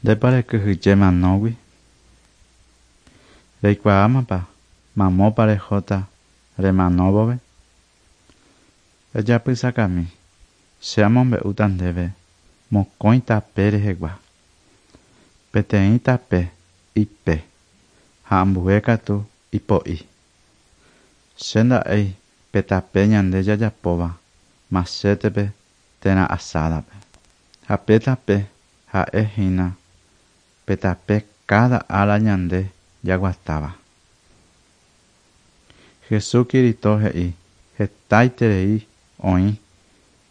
Ndépa rekyhyje manógui? Reikuaámapa mamópa rehóta remano vove? Ejapysakami, che amombe'úta ndéve mokõi tape rehegua. Peteĩ tape ipe ha ambue katu ipo'i. Che nda'éi pe tape ñande jajapóva machétepe térã asádape. Ha pe tape ha'e hína pe tape káda ára ñande jaguatáva. Hesu Kirito he'i hetaiterei oĩ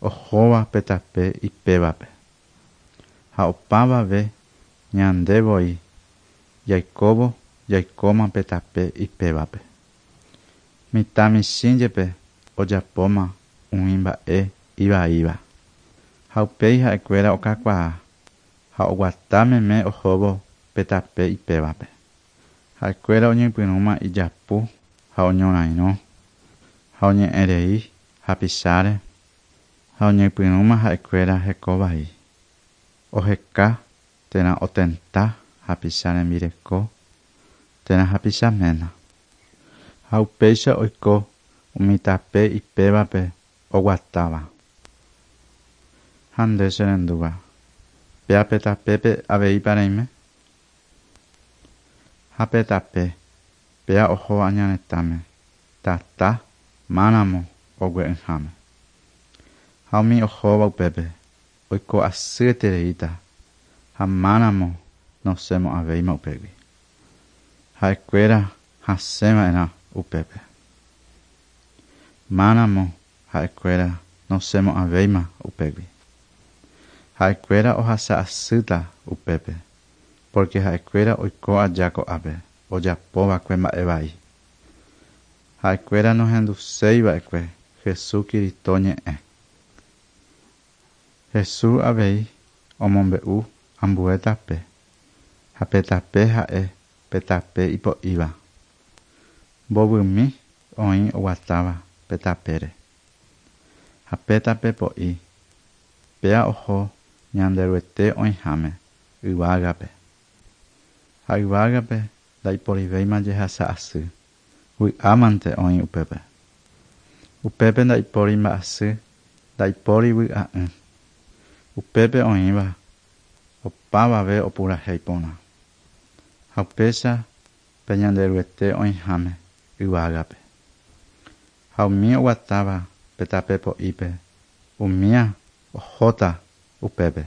ohóva pe tape ipévape. Ha opavave ñande voi jaikóvo jaikóma pe tape ipévape. Mitã michĩ jepe ojapóma umi mba'e ivaíva. Ha upéi ha'ekuéra okakuaa ha oguata meme ohóvo pe tape ipévape. Ha'ekuéra oñepyrũma ijapu ha oñorairõ ha oñe'ẽrei hapicháre ha oñepyrũma ha'ekuéra hekovai. Oheka térã otenta hapicha rembireko térã hapicha ména. Ha upéicha oiko umi tape ipévape oguatáva. Ha nde cherendúva, péa pe tapépe aveípa reime? Ha pe tape, péa oho aña retãme, tata máramo ogue'ỹháme. Ha umi ohóva upépe oiko asyetereíta ha máramo nosẽmo'ãvéima upégui. Ha'ekuéra hasẽva'erã upépe. Máramo ha'ekuéra nosẽmo'ãvéima upégui. Ha'ekuéra ohasa asýta upépe, pórke ha'ekuéra oiko aja ko'ápe ojapo va'ekue mba'e vai. Ha'ekuéra nohenduséi va'ekue Hesu Kirito ñe'ẽ. Hesu avei omombe'u ambue tape, ha pe tape ha'e pe tape ipo'íva. Mbovymi oĩ oguatáva pe tapére. Ha pe tape po'i, péa oho Ñanderuete oĩháme, yvágape. Ha yvágape ndaiporivéima jehasa asy, vy'ámante oĩ upépe. Upépe ndaipóri mba'asy, ndaipóri vy'a'ỹ. Upépe oĩva opavave opurahéi porã. Ha upéicha pe Ñanderuete oĩháme yvágape. Ha umi oguatáva pe tape po'ípe, umía ohóta upépe.